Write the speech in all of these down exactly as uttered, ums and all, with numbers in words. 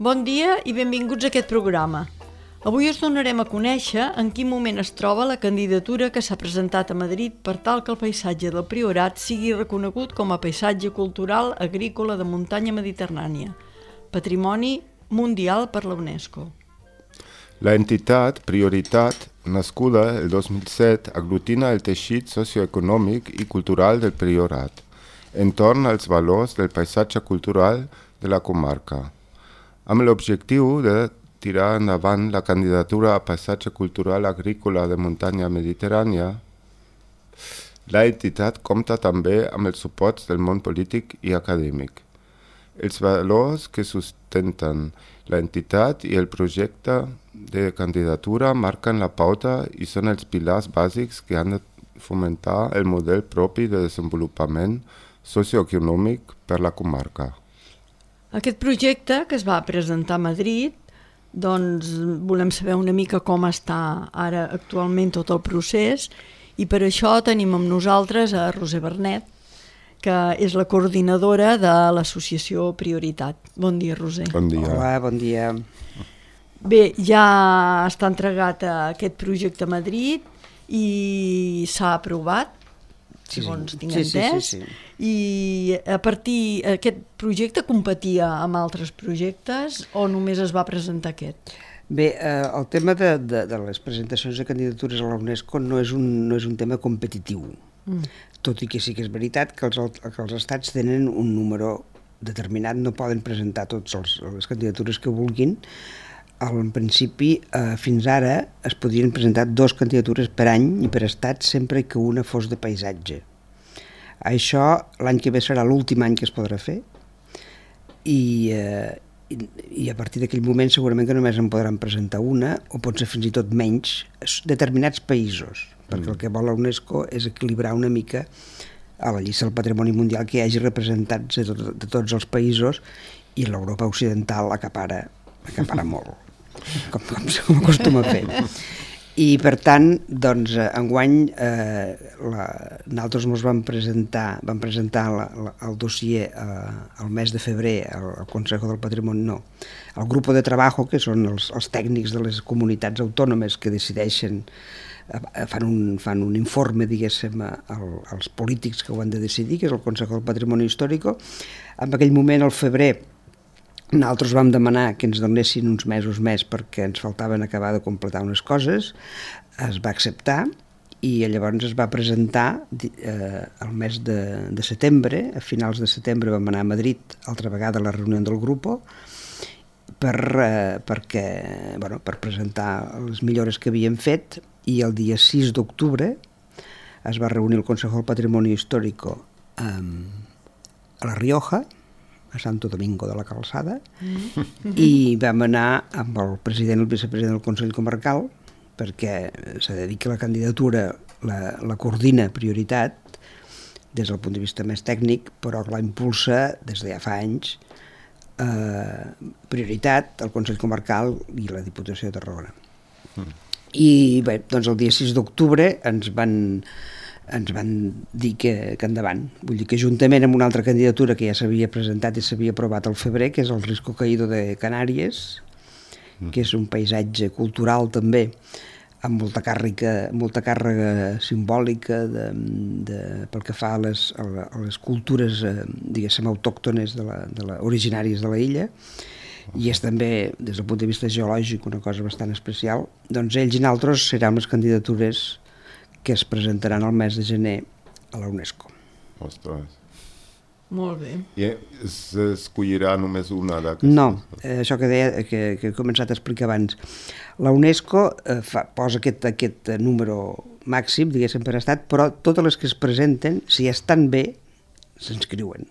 Bon dia i benvinguts a aquest programa. Avui us donarem a conèixer en quin moment es troba la candidatura que s'ha presentat a Madrid per tal que el paisatge del Priorat sigui reconegut com a paisatge cultural agrícola de muntanya mediterrània, patrimoni mundial per la UNESCO. La entitat Prioritat, nascuda el dos mil set, aglutina el teixit socioeconòmic i cultural del Priorat, entorn als valors del paisatge cultural de la comarca, amb l'objectiu de tirar endavant la candidatura a paisatge cultural agrícola de muntanya mediterrània. La entitat compta també amb els suports del món polític i acadèmic. Els valors que sustenten la entitat i el projecte de candidatura marquen la pauta i són els pilars bàsics que han de fomentar el model propi de desenvolupament socioeconòmic per la comarca. Aquest projecte que es va presentar a Madrid, doncs volem saber una mica com està ara actualment tot el procés i per això tenim amb nosaltres a Roser Bernet, que és la coordinadora de l'associació Prioritat. Bon dia, Roser. Bon dia. Hola, bon dia. Bé, ja està entregat aquest projecte a Madrid i s'ha aprovat, Sí, segons sí. tinc sí, entès, sí, sí, sí. i a partir aquest projecte competia amb altres projectes o només es va presentar aquest? Bé, eh, el tema de, de, de les presentacions de candidatures a la UNESCO no és un, no és un tema competitiu, mm. tot i que sí que és veritat que els, que els estats tenen un número determinat, no poden presentar totes les candidatures que vulguin. En principi, eh, fins ara es podien presentar dues candidatures per any i per estat sempre que una fos de paisatge. Això l'any que ve serà l'últim any que es podrà fer i, eh, i, i a partir d'aquell moment segurament que només en podran presentar una o pot ser fins i tot menys determinats països, perquè mm. el que vol la UNESCO és equilibrar una mica a la llista del patrimoni mundial que hi hagi representats de, tot, de tots els països i l'Europa occidental acapara, acapara molt. Com, com, com acostuma a fer. I per tant, doncs, enguany eh, la, nosaltres ens vam presentar, vam presentar la, la, el dossier eh, el mes de febrer al, al Consejo del Patrimoni, no, al grup de treball, que són els, els tècnics de les comunitats autònomes que decideixen, eh, fan, un, fan un informe, diguéssim, al, als polítics que ho han de decidir, que és el Consejo del Patrimoni Històric. En aquell moment, al febrer, nosaltres vam demanar que ens donessin uns mesos més perquè ens faltaven acabar de completar unes coses, es va acceptar i llavors es va presentar eh, el mes de, de setembre, a finals de setembre vam anar a Madrid altra vegada a la reunió del grup per, eh, perquè, bueno, per presentar les millores que havíem fet i el dia sis d'octubre es va reunir el Consejo del Patrimoni Històric eh, a La Rioja, a Santo Domingo de la Calçada, mm. i vam anar amb el president i el vicepresident del Consell Comarcal perquè s'ha de dir que la candidatura la, la coordina Prioritat des del punt de vista més tècnic, però la impulsa des de ja fa anys eh, Prioritat, el Consell Comarcal i la Diputació de Tarragona. Mm. I bé, doncs el dia sis d'octubre ens van ens van dir que, que endavant. Vull dir que juntament amb una altra candidatura que ja s'havia presentat i s'havia aprovat al febrer, que és el Risco Caído de Canàries, mm. que és un paisatge cultural també, amb molta càrrega, molta càrrega simbòlica de, de, pel que fa a les, a les cultures, eh, diguéssim, autòctones de la, de la, originàries de la illa, i és també, des del punt de vista geològic, una cosa bastant especial. Doncs ells i nosaltres seran les candidatures que es presentaran el mes de gener a la UNESCO. Ostres. Molt bé. I s'escollirà només una d'aquestes? No, eh, això que, deia, que, que he començat a explicar abans. La UNESCO eh, fa, posa aquest, aquest número màxim, diguéssim, per estat, però totes les que es presenten, si estan bé, s'inscriuen.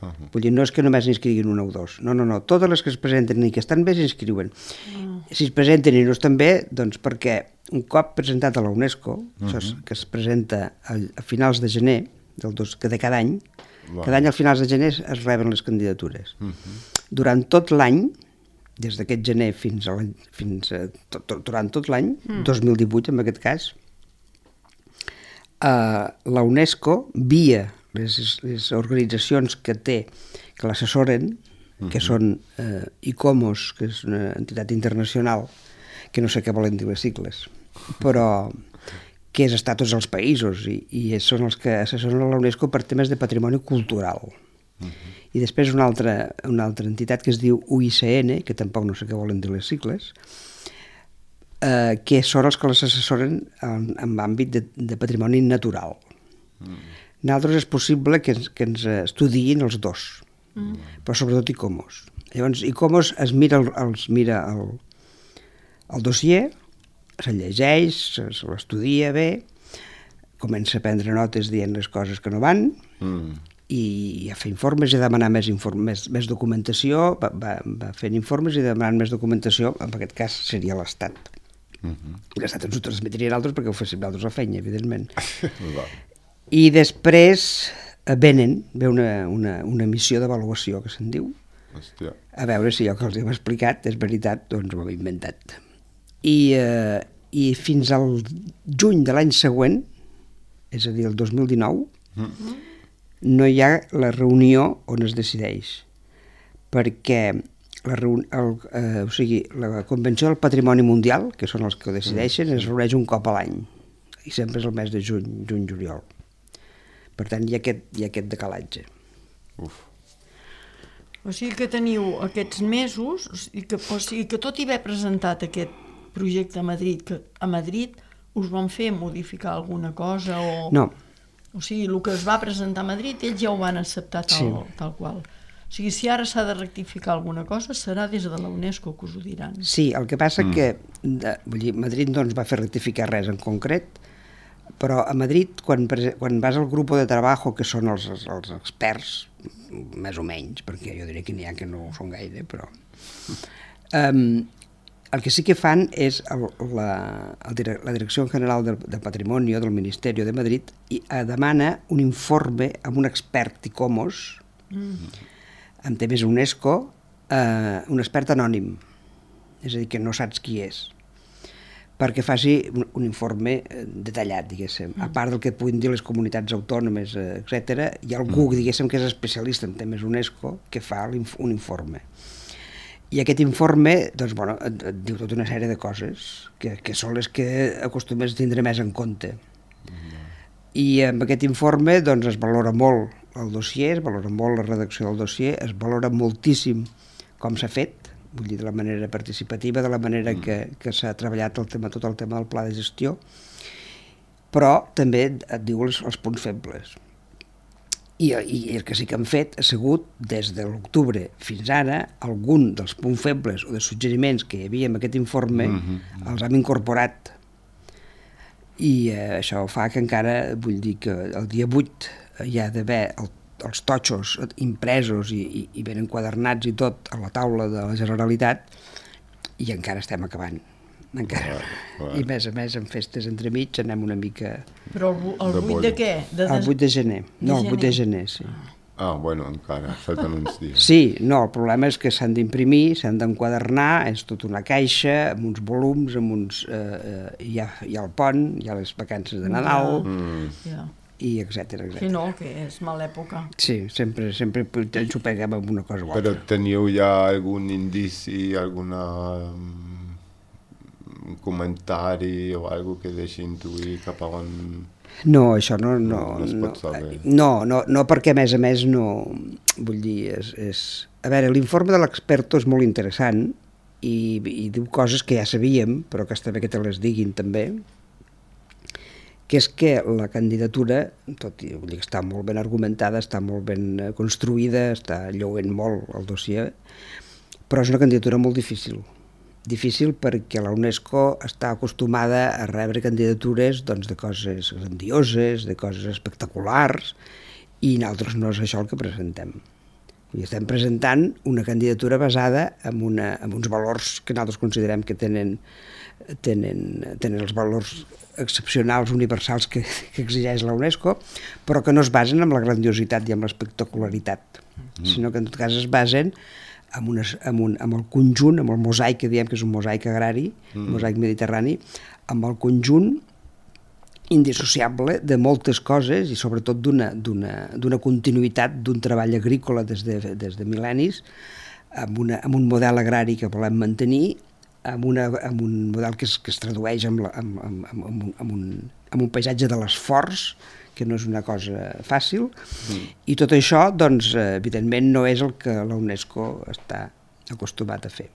Uh -huh. Vull dir, no és que només n'inscriguin una o dos. No, no, no. Totes les que es presenten i que estan bé s'inscriuen. Uh. Si es presenten i no estan bé, doncs perquè un cop presentat a la UNESCO, uh -huh. això que es presenta a, a finals de gener, del dos, que de cada any, wow. cada any al finals de gener es reben les candidatures. Uh -huh. Durant tot l'any, des d'aquest gener fins a l'any, fins a, tot, tot, durant tot l'any, uh-huh. dos mil divuit en aquest cas, eh, la UNESCO, via les, les organitzacions que té, que l'assessoren, uh-huh. que són eh, ICOMOS, que és una entitat internacional, que no sé què volen dir les sigles, però que és estar a tots els països i, i són els que assessoren a la UNESCO per temes de patrimoni cultural. Uh-huh. I després una altra, una altra entitat que es diu U I C N, que tampoc no sé què volen dir les sigles, eh, que són els que les assessoren en, en àmbit de, de patrimoni natural. Uh-huh. Nosaltres és possible que ens, que ens estudiïn els dos, uh-huh. però sobretot ICOMOS. Llavors, ICOMOS es mira el, els mira el, el dossier, se llegeix, se, se l'estudia bé, comença a prendre notes dient les coses que no van, mm. i a fer informes i a demanar més, inform, més, més documentació, va, va, va fent informes i demanant més documentació, en aquest cas seria l'Estat. Mm-hmm. L'Estat ens ho transmetria a altres perquè ho féssim nosaltres la feina, evidentment. I després venen, ve una, una, una missió d'avaluació, que se'n diu, Hòstia. A veure si allò que els hem explicat és veritat, doncs ho hem inventat. I, eh, i fins al juny de l'any següent, és a dir, el dos mil dinou, mm. no hi ha la reunió on es decideix, perquè la, reun el, eh, o sigui, la Convenció del Patrimoni Mundial, que són els que ho decideixen, mm. es reuneix un cop a l'any, i sempre és el mes de juny, juny-juliol. Per tant, hi ha aquest, hi ha aquest decalatge. Uf. O sigui que teniu aquests mesos, o sigui que, o sigui que tot i haver presentat aquest projecte a Madrid, que a Madrid us van fer modificar alguna cosa o... No. O sigui, el que es va presentar a Madrid ells ja ho van acceptar tal, sí. tal qual. O sigui, si ara s'ha de rectificar alguna cosa serà des de la UNESCO que us ho diran. Sí, el que passa mm. que de, vull dir, Madrid no ens va fer rectificar res en concret, però a Madrid, quan, quan vas al grup de treball, que són els, els experts, més o menys, perquè jo diria que n'hi ha que no ho són gaire, però... Um, el que sí que fan és el, la, el, la Direcció General del, del Patrimoni del Ministeri de Madrid i demana un informe amb un expert ICOMOS, mm. amb temes UNESCO, eh, un expert anònim, és a dir, que no saps qui és, perquè faci un, un informe detallat, diguéssim. Mm. A part del que puguin dir les comunitats autònomes, etcètera, hi ha algú, diguéssim, que és especialista en temes UNESCO, que fa un informe. I aquest informe, doncs, bueno, et, et diu tota una sèrie de coses que, que són les que acostumes a tindre més en compte. Mm. I amb aquest informe doncs, es valora molt el dossier, es valora molt la redacció del dossier, es valora moltíssim com s'ha fet, vull dir, de la manera participativa, de la manera mm. que, que s'ha treballat el tema, tot el tema del pla de gestió, però també et diu els, els punts febles. I, i el que sí que han fet ha sigut, des de l'octubre fins ara, algun dels punts febles o de suggeriments que hi havia en aquest informe mm-hmm. els hem incorporat. I eh, això fa que encara, vull dir que el dia vuit hi ha d'haver el, els totxos impresos i, i, i ben enquadernats i tot a la taula de la Generalitat i encara estem acabant. Encara. Clar, clar. I més a més en festes entremig anem una mica... Però el, el vuit de què? De des... El vuit de gener. De no, el vuit de gener, sí. Ah, bueno, encara, falten uns dies. Sí, no, el problema és que s'han d'imprimir, s'han d'enquadernar, és tota una caixa, amb uns volums, amb uns... Eh, eh, hi, ha, hi ha el pont, hi ha les vacances de Nadal, mm. yeah. i etcètera, etcètera. Sí, no, que és mala època. Sí, sempre, sempre ens ho peguem amb una cosa o altra. Però teniu ja algun indici, alguna... un comentari o algo que deixi intuir cap a on... No, això no... No, no, no, es no, no, no, perquè a més a més no... Vull dir, és... és... A veure, l'informe de l'experto és molt interessant i, i diu coses que ja sabíem, però que està bé que te les diguin també, que és que la candidatura, tot i vull dir que està molt ben argumentada, està molt ben construïda, està lloent molt el dossier, però és una candidatura molt difícil. Difícil perquè la UNESCO està acostumada a rebre candidatures doncs, de coses grandioses, de coses espectaculars, i nosaltres no és això el que presentem. I estem presentant una candidatura basada en, una, en uns valors que nosaltres considerem que tenen, tenen, tenen els valors excepcionals, universals que, que exigeix la UNESCO, però que no es basen en la grandiositat i en l'espectacularitat, mm. sinó que en tot cas es basen Amb, unes, amb, un, amb el conjunt, amb el mosaic que diem que és un mosaic agrari, mm. mosaic mediterrani, amb el conjunt indissociable de moltes coses i sobretot d'una continuïtat d'un treball agrícola des de, des de mil·lennis, amb, una, amb un model agrari que volem mantenir, amb, una, amb un model que es, que es tradueix amb, la, amb, amb, amb, amb, un, amb, un, amb un paisatge de l'esforç, que no és una cosa fàcil, mm. i tot això, doncs, evidentment, no és el que la UNESCO està acostumat a fer.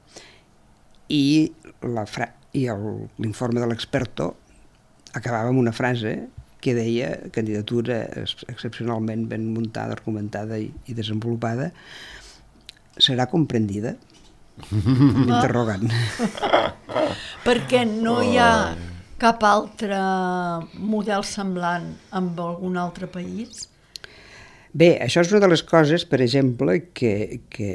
I l'informe de l'experto acabava amb una frase que deia candidatura excepcionalment ben muntada, argumentada i, i desenvolupada, serà comprendida? Interrogant. Perquè no hi ha cap altre model semblant amb algun altre país? Bé, això és una de les coses, per exemple, que, que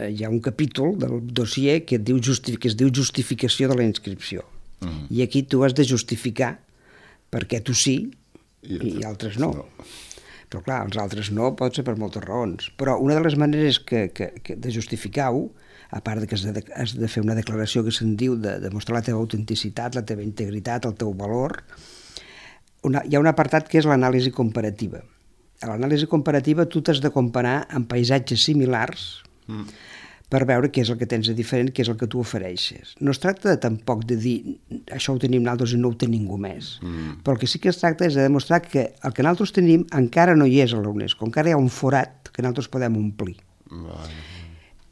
hi ha un capítol del dossier que, diu justi que es diu justificació de la inscripció. Mm. I aquí tu has de justificar perquè tu sí i, i altres no. no. Però clar, els altres no pot ser per moltes raons. Però una de les maneres que, que, que de justificar-ho, a part de que has de, has de fer una declaració que se'n diu de, de mostrar la teva autenticitat, la teva integritat, el teu valor, una, hi ha un apartat que és l'anàlisi comparativa. A l'anàlisi comparativa tu t'has de comparar amb paisatges similars mm. per veure què és el que tens de diferent, què és el que tu ofereixes. No es tracta de, tampoc de dir això ho tenim nosaltres i no ho té ningú més, mm. però el que sí que es tracta és de demostrar que el que nosaltres tenim encara no hi és a la UNESCO, encara hi ha un forat que nosaltres podem omplir. Vale.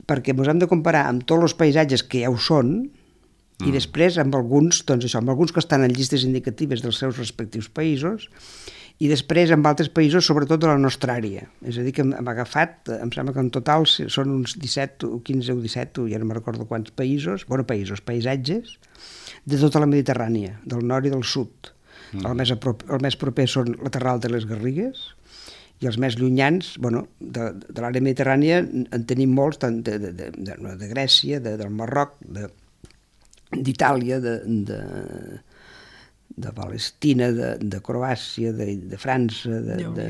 Perquè ens hem de comparar amb tots els paisatges que ja ho són mm. i després amb alguns, doncs això, amb alguns que estan en llistes indicatives dels seus respectius països i després amb altres països, sobretot de la nostra àrea. És a dir, que hem agafat, em sembla que en total són uns disset o quinze o disset, ja no me'n recordo quants països, bueno, països, paisatges, de tota la Mediterrània, del nord i del sud. Mm. El, més el més proper són la Terral de les Garrigues, i els més llunyans, bueno, de, de l'àrea mediterrània en tenim molts, tant de, de, de, de, de Grècia, de, del Marroc, d'Itàlia, de, de, de Palestina, de, de Croàcia, de, de França, de, de,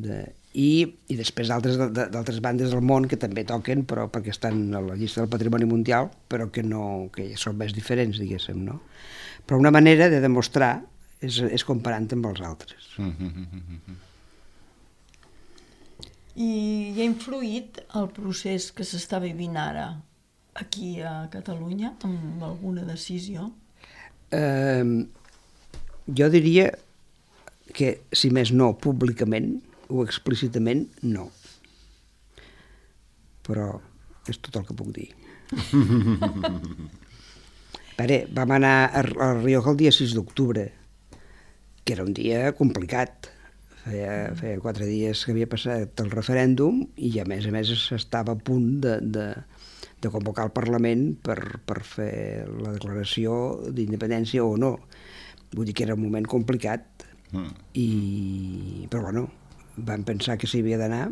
de, i, i després d'altres bandes del món que també toquen, però perquè estan a la llista del Patrimoni Mundial, però que, no, que són més diferents, diguéssim, no? Però una manera de demostrar és, és comparant amb els altres. I hi ha influït el procés que s'està vivint ara aquí a Catalunya amb alguna decisió? Eh, jo diria que, si més no públicament o explícitament, no. Però és tot el que puc dir. Pare, vam anar a, a Rioja el dia sis d'octubre, que era un dia complicat. Feia, feia quatre dies que havia passat el referèndum i a més a més s'estava a punt de, de, de convocar el Parlament per, per fer la declaració d'independència o no. Vull dir que era un moment complicat, mm. i, però bueno, vam pensar que s'hi havia d'anar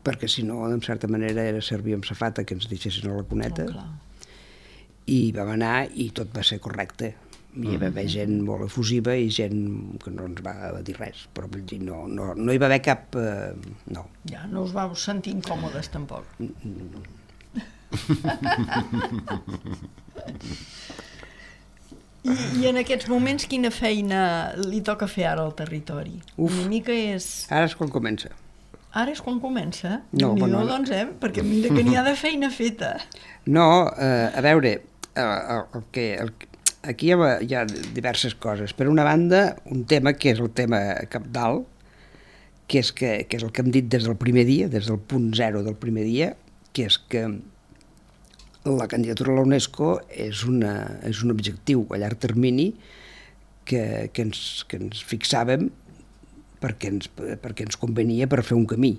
perquè si no, en certa manera, era servir amb safata que ens deixessin a la cuneta. Oh, i vam anar i tot va ser correcte. Hi va haver gent molt efusiva i gent que no ens va dir res, però no, no, no hi va haver cap... Eh, no. Ja, no us vau sentir incòmodes, tampoc. I, I en aquests moments quina feina li toca fer ara al territori? Uf, una mica és... Ara és quan comença. Ara és quan comença? No, no, no, doncs, eh? Perquè mira que n'hi ha de feina feta. No, eh, a veure, eh, el, el que... El, aquí hi ha, hi ha diverses coses. Per una banda, un tema que és el tema cabdal, que és, que, que és el que hem dit des del primer dia, des del punt zero del primer dia, que és que la candidatura a la UNESCO és, una, és un objectiu a llarg termini que, que, ens, que ens fixàvem perquè ens, perquè ens convenia per fer un camí.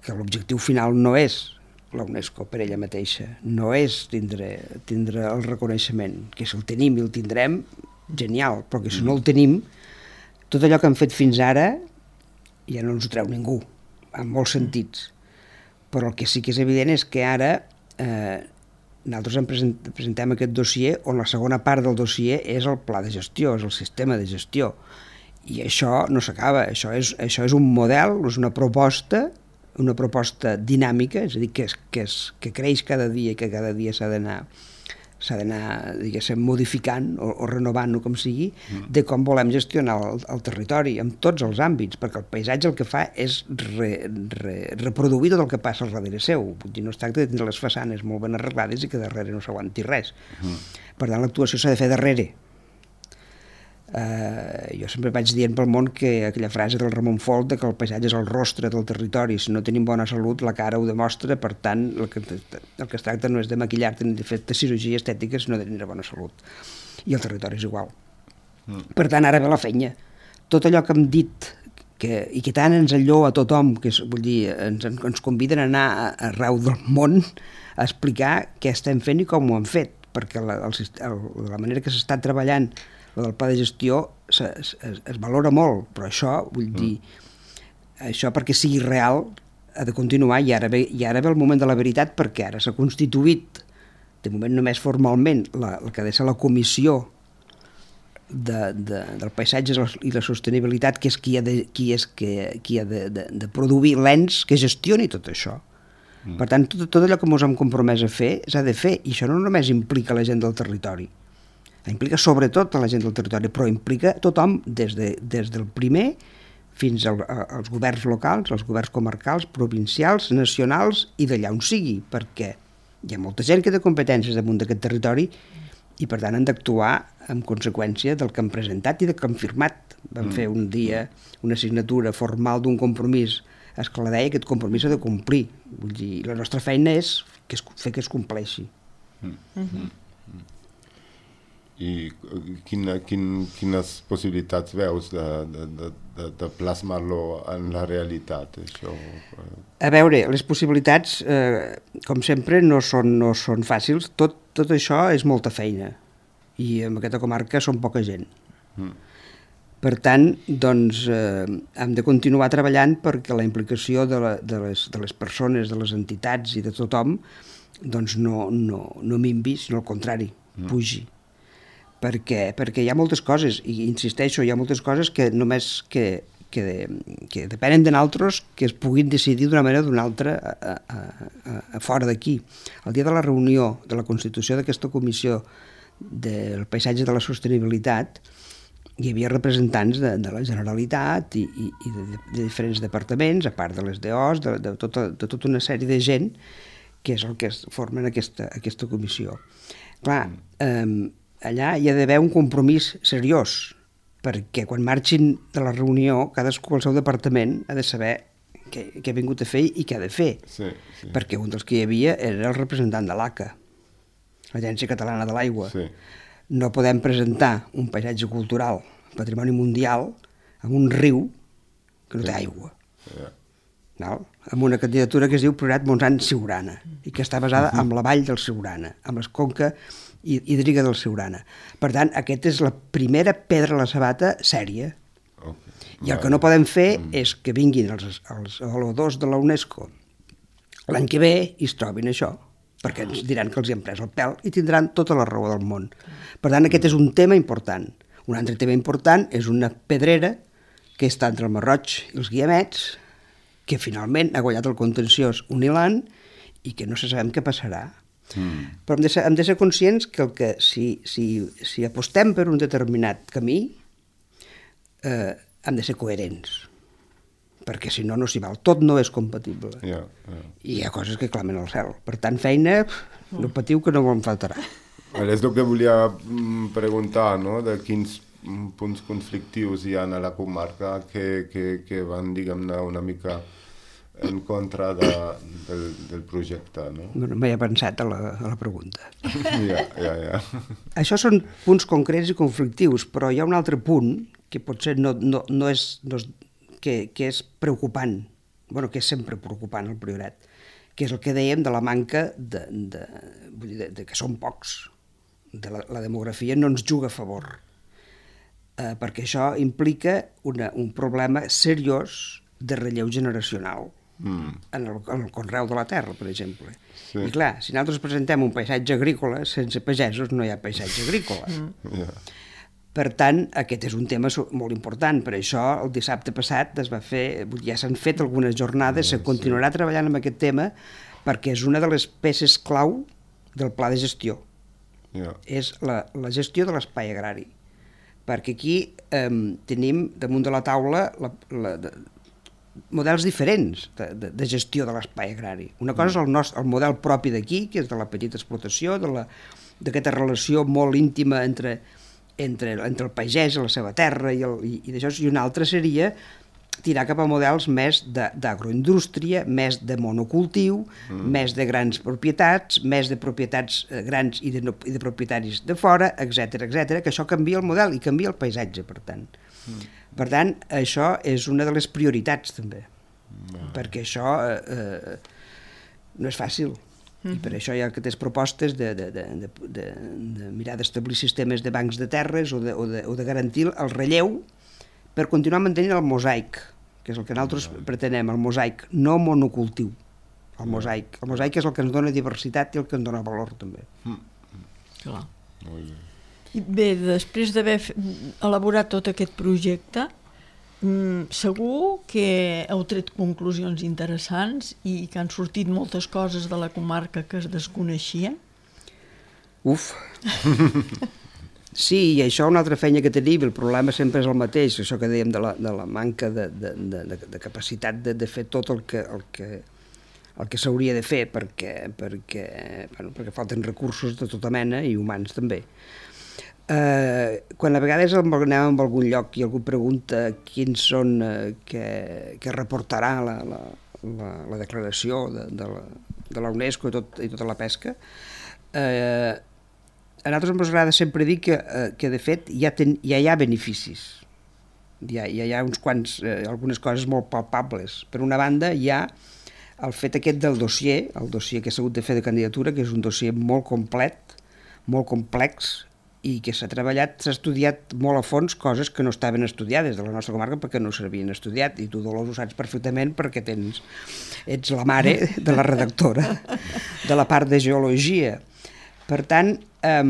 Que l'objectiu final no és la UNESCO per ella mateixa, no és tindre, tindre el reconeixement, que si el tenim i el tindrem, genial, però que si no el tenim, tot allò que hem fet fins ara ja no ens ho treu ningú, en molts sentits. Però el que sí que és evident és que ara eh, nosaltres em present, presentem aquest dossier on la segona part del dossier és el pla de gestió, és el sistema de gestió. I això no s'acaba, això és, això és un model, és una proposta una proposta dinàmica, és a dir, que, és, que, és, que creix cada dia i que cada dia s'ha d'anar s'ha d'anar, diguéssim, modificant o, o renovant-ho com sigui, de com volem gestionar el, el territori en tots els àmbits, perquè el paisatge el que fa és re, re, reproduir tot el que passa al darrere seu. Vull dir, no es tracta de tenir les façanes molt ben arreglades i que darrere no s'aguanti res. Mm. Per tant, l'actuació s'ha de fer darrere. Uh, jo sempre vaig dient pel món que aquella frase del Ramon Folch de que el paisatge és el rostre del territori, si no tenim bona salut la cara ho demostra, per tant el que, el que es tracta no és de maquillar-te ni de fer cirurgia estètica, sinó de tenir bona salut, i el territori és igual. Mm. Per tant, ara ve la feina. Tot allò que hem dit que, i que tant ens enllou a tothom, que és, vull dir, ens, ens conviden a anar arreu del món a explicar què estem fent i com ho hem fet, perquè la, el, el, la manera que s'està treballant del pla de gestió es, es, es valora molt, però això, vull dir, mm. això perquè sigui real ha de continuar, i ara, ve, i ara ve el moment de la veritat, perquè ara s'ha constituït, de moment només formalment, la, el que ha de ser la comissió de, de, del paisatge i la sostenibilitat, que és qui ha de, qui és que, qui ha de, de, de produir l'ens que gestioni tot això. Mm. Per tant, tot, tot allò que ens hem compromès a fer s'ha de fer, i això no només implica la gent del territori, implica sobretot a la gent del territori, però implica tothom des, de, des del primer fins al, als governs locals, als governs comarcals, provincials, nacionals i d'allà on sigui, perquè hi ha molta gent que té competències damunt d'aquest territori i per tant han d'actuar en conseqüència del que han presentat i del que han firmat. Vam mm. fer un dia una signatura formal d'un compromís, és que la deia, aquest compromís s'ha de complir. Vull dir, la nostra feina és que es, fer que es compleixi. Mm. Mm-hmm. I quina, quin, quines possibilitats veus de, de, de, de plasmar-lo en la realitat, això? A veure, les possibilitats, eh, com sempre, no són, no són fàcils. Tot, tot això és molta feina, i en aquesta comarca són poca gent. Mm. Per tant, doncs, eh, hem de continuar treballant perquè la implicació de, la, de, les, de les persones, de les entitats i de tothom, doncs no, no, no minvi, sinó al contrari, mm. pugi. Per què? Perquè hi ha moltes coses, i insisteixo, hi ha moltes coses que només que, que, que depenen de nosaltres, que es puguin decidir d'una manera o d'una altra a, a, a, a fora d'aquí. El dia de la reunió de la constitució d'aquesta comissió del paisatge de la sostenibilitat hi havia representants de, de la Generalitat i, i, i de, de diferents departaments, a part de les D Os, de, de, tota, de tota una sèrie de gent que és el que formen aquesta, aquesta comissió. Clar, eh, allà hi ha d'haver un compromís seriós, perquè quan marxin de la reunió, cadascú al seu departament ha de saber què, què ha vingut a fer i què ha de fer. Sí, sí. Perquè un dels que hi havia era el representant de l'A C A, l'Agència Catalana de l'Aigua. Sí. No podem presentar un paisatge cultural, patrimoni mundial, en un riu que no té aigua. Yeah. No? Amb una candidatura que es diu Priorat Montsant-Siurana i que està basada uh-huh. en la vall del Siurana, amb la conca hídrica del Siurana. Per tant, aquesta és la primera pedra a la sabata sèria. Okay. I el que no podem fer mm. és que vinguin els, els avaluadors de la UNESCO l'any que ve i es trobin això, perquè ens diran que els hi han pres el pèl i tindran tota la raó del món. Per tant, aquest és un tema important. Un altre tema important és una pedrera que està entre el Marroig i els Guiamets, que finalment ha guanyat el contenciós Unilan i que no se sabem què passarà. Mm. Però hem de, ser, hem de ser conscients que, el que si, si, si apostem per un determinat camí eh, hem de ser coherents, perquè si no, no s'hi val. Tot no és compatible. Yeah, yeah. I hi ha coses que clamen al cel. Per tant, feina, no patiu que no en faltarà. És el que volia preguntar, no? De quins punts conflictius hi ha a la comarca que, que, que van, diguem-ne, una mica en contra de, del, del projecte, no? No, no m'he pensat a la, a la pregunta. Ja, ja, ja. Això són punts concrets i conflictius, però hi ha un altre punt que potser no, no, no és, no és que, que és preocupant, bueno, que és sempre preocupant al Priorat, que és el que dèiem de la manca de, de, vull dir, de, de que són pocs, de la, la demografia no ens juga a favor, eh, perquè això implica una, un problema seriós de relleu generacional. Mm. En, el, en el conreu de la terra, per exemple. Sí. I clar, si nosaltres presentem un paisatge agrícola, sense pagesos no hi ha paisatge agrícola. Mm. Yeah. Per tant, aquest és un tema molt important. Per això, el dissabte passat es va fer, ja s'han fet algunes jornades, yeah, se continuarà sí. treballant amb aquest tema, perquè és una de les peces clau del pla de gestió. Yeah. És la, la gestió de l'espai agrari. Perquè aquí eh, tenim damunt de la taula la, la, de, models diferents de, de, de gestió de l'espai agrari. Una cosa és el, nostre, el model propi d'aquí, que és de la petita explotació, de la, d'aquesta relació molt íntima entre, entre, entre el pagès i la seva terra, i, el, i, i d'això, i una altra seria tirar cap a models més d'agroindústria, més de monocultiu, mm. més de grans propietats, més de propietats grans i de, i de propietaris de fora, etcètera, etcètera, que això canvia el model i canvia el paisatge, per tant. Mm. Per tant, això és una de les prioritats, també, mm. perquè això eh, no és fàcil. Mm-hmm. I per això hi ha aquestes propostes de, de, de, de, de, de mirar d'establir sistemes de bancs de terres o de, o de, o de garantir el relleu per continuar mantenint el mosaic, que és el que nosaltres mm. pretenem, el mosaic, no monocultiu. El mosaic. El mosaic és el que ens dona diversitat i el que ens dona valor, també. Mm. Clar. Molt bé. I bé, després d'haver elaborat tot aquest projecte, segur que heu tret conclusions interessants i que han sortit moltes coses de la comarca que es desconeixien? Uf! Sí, i això una altra feina que tenim, el problema sempre és el mateix, això que dèiem de la, de la manca de, de, de, de capacitat de, de fer tot el que, el que, el que s'hauria de fer, perquè, perquè, bueno, perquè falten recursos de tota mena i humans també. Eh, quan a vegades anem a algun lloc i algú pregunta quins són eh, que, que reportarà la, la, la, la declaració de, de, la, de la UNESCO i, tot, i tota la pesca, eh, a nosaltres ens agrada sempre dir que, eh, que de fet ja, ten, ja hi ha beneficis, ja, ja hi ha uns quants, eh, algunes coses molt palpables. Per una banda hi ha el fet aquest del dossier, el dossier que s'ha hagut de fer de candidatura, que és un dossier molt complet, molt complex, i que s'ha treballat, s'ha estudiat molt a fons coses que no estaven estudiades de la nostra comarca perquè no s'havien estudiat, i tu, Dolors, ho saps perfectament perquè tens, ets la mare de la redactora de la part de geologia. Per tant, eh,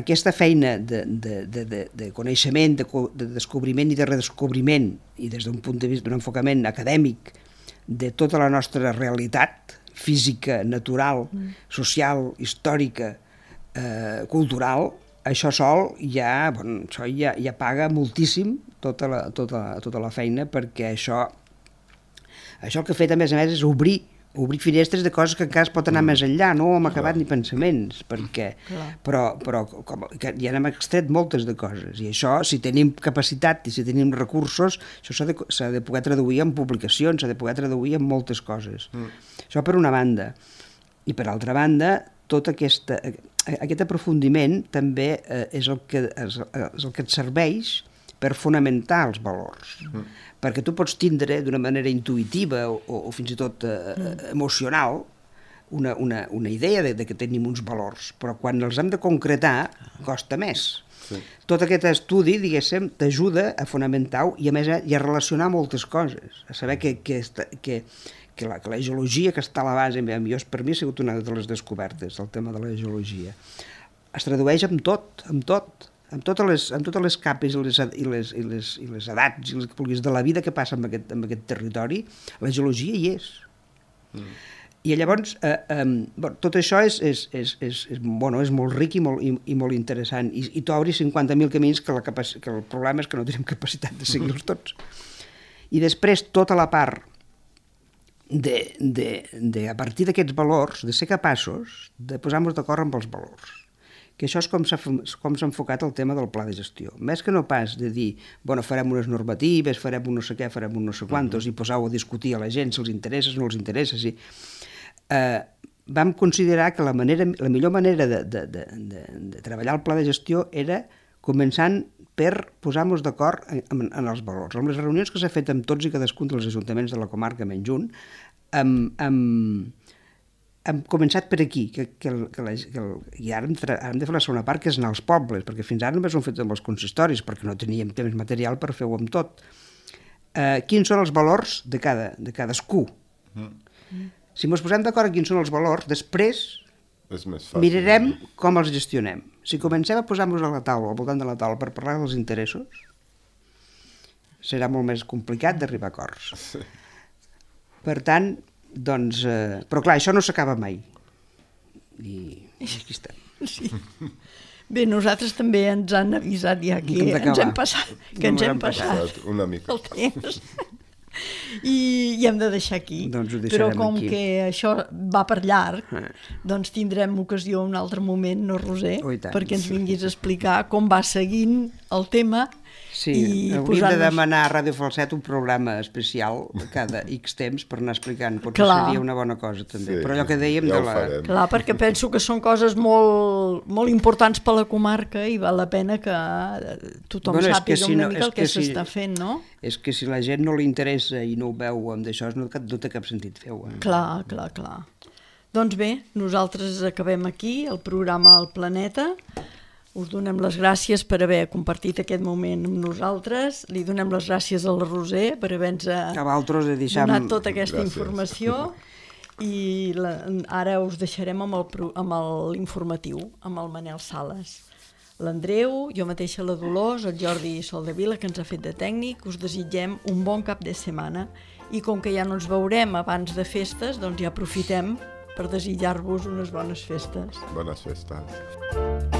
aquesta feina de, de, de, de, de coneixement, de, de descobriment i de redescobriment, i des d'un punt de vista d'un enfocament acadèmic de tota la nostra realitat física, natural, social, històrica, eh, cultural, això sol ja, bueno, això ja, ja paga moltíssim tota la, tota, tota la feina, perquè això, això el que ha fet a més a més és obrir, obrir finestres de coses que encara es pot anar mm. més enllà, no hem acabat Clar. Ni pensaments, perquè, però, però com, que ja n'hem extret moltes de coses, i això, si tenim capacitat i si tenim recursos, això s'ha de, s'ha de poder traduir en publicacions, s'ha de poder traduir en moltes coses. Mm. Això per una banda. I per altra banda, tot aquesta, aquest aprofundiment també eh, és, el que, és, és el que et serveix per fonamentar els valors. Mm. Perquè tu pots tindre d'una manera intuïtiva o, o fins i tot eh, mm. emocional una, una, una idea de, de que tenim uns valors, però quan els hem de concretar costa més. Sí. Tot aquest estudi, diguéssim, t'ajuda a fonamentar-ho i a més i a relacionar moltes coses, a saber que, que, que, que, la, que la geologia que està a la base, jo, per mi ha sigut una de les descobertes, el tema de la geologia. Es tradueix amb tot, amb tot, amb totes les, amb totes les capes i les, i, les, i, les, i les edats i les que vulguis de la vida que passa en aquest, en aquest territori, la geologia hi és. Mm. I llavors, eh, eh, bueno, tot això és, és, és, és, és, bueno, és molt ric i molt, i, i molt interessant, i, i t'obri cinquanta mil camins que, la capac- que el problema és que no tenim capacitat de seguir-los tots. I després tota la part de, de, de a partir d'aquests valors, de ser capaços de posar-nos d'acord amb els valors. Que això és com s'ha, com s'ha enfocat el tema del pla de gestió. Més que no pas de dir, bueno, farem unes normatives, farem un no sé què, farem un no sé quantos, uh-huh. i posar-ho a discutir a la gent si els interessa, si no els interessa. Si... Eh, vam considerar que la, manera, la millor manera de, de, de, de, de treballar el pla de gestió era començant per posar-nos d'acord en, en, en els valors. Amb les reunions que s'ha fet amb tots i cadascun dels ajuntaments de la comarca menys un, amb, amb, hem començat per aquí, que, que, el, que, la, que el, i ara hem, tra, hem de fer la segona part, que és anar als pobles, perquè fins ara només ho hem fet amb els consistoris, perquè no teníem temps material per fer-ho amb tot. Eh, quins són els valors de, cada, de cadascú? Mm. Si ens posem d'acord en quins són els valors, després mirarem com els gestionem. Si comencem a posar-nos a la taula, al voltant de la taula, per parlar dels interessos, serà molt més complicat d'arribar a acords. Sí. Per tant, doncs, eh, però clar, això no s'acaba mai. I, i aquí estem. Sí. Bé, nosaltres també ens han avisat ja que ens hem passat, que ens hem passat una mica el temps. I, i hem de deixar aquí, doncs però com aquí. que això va per llarg, eh. doncs tindrem ocasió un altre moment, no, Roser? Oh, perquè ens vinguis a explicar com va seguint el tema. Sí, i hauríem de demanar a Ràdio Falset un programa especial cada X temps per anar explicant, potser Clar. seria una bona cosa també, Sí, però allò que dèiem ja de la... farem. Clar, perquè penso que són coses molt, molt importants per la comarca i val la pena que tothom Bueno, és sàpiga que si una no- mica és el que que si- s'està fent, no? És que si la gent no li interessa i no ho veu amb d'això, no, no té cap sentit fer-ho. Eh? Clar, clar, clar. Doncs bé, nosaltres acabem aquí el programa El Planeta. Us donem les gràcies per haver compartit aquest moment amb nosaltres. Li donem les gràcies a la Roser per haver-nos A vosaltres de deixar... donat tota aquesta Gràcies. informació i la, ara us deixarem amb el pro- amb el- l'informatiu, amb el Manel Sales. L'Andreu, jo mateixa la Dolors, el Jordi Soldevila, que ens ha fet de tècnic, us desitgem un bon cap de setmana i com que ja no ens veurem abans de festes, doncs ja aprofitem per desitjar-vos unes bones festes. Bones festes.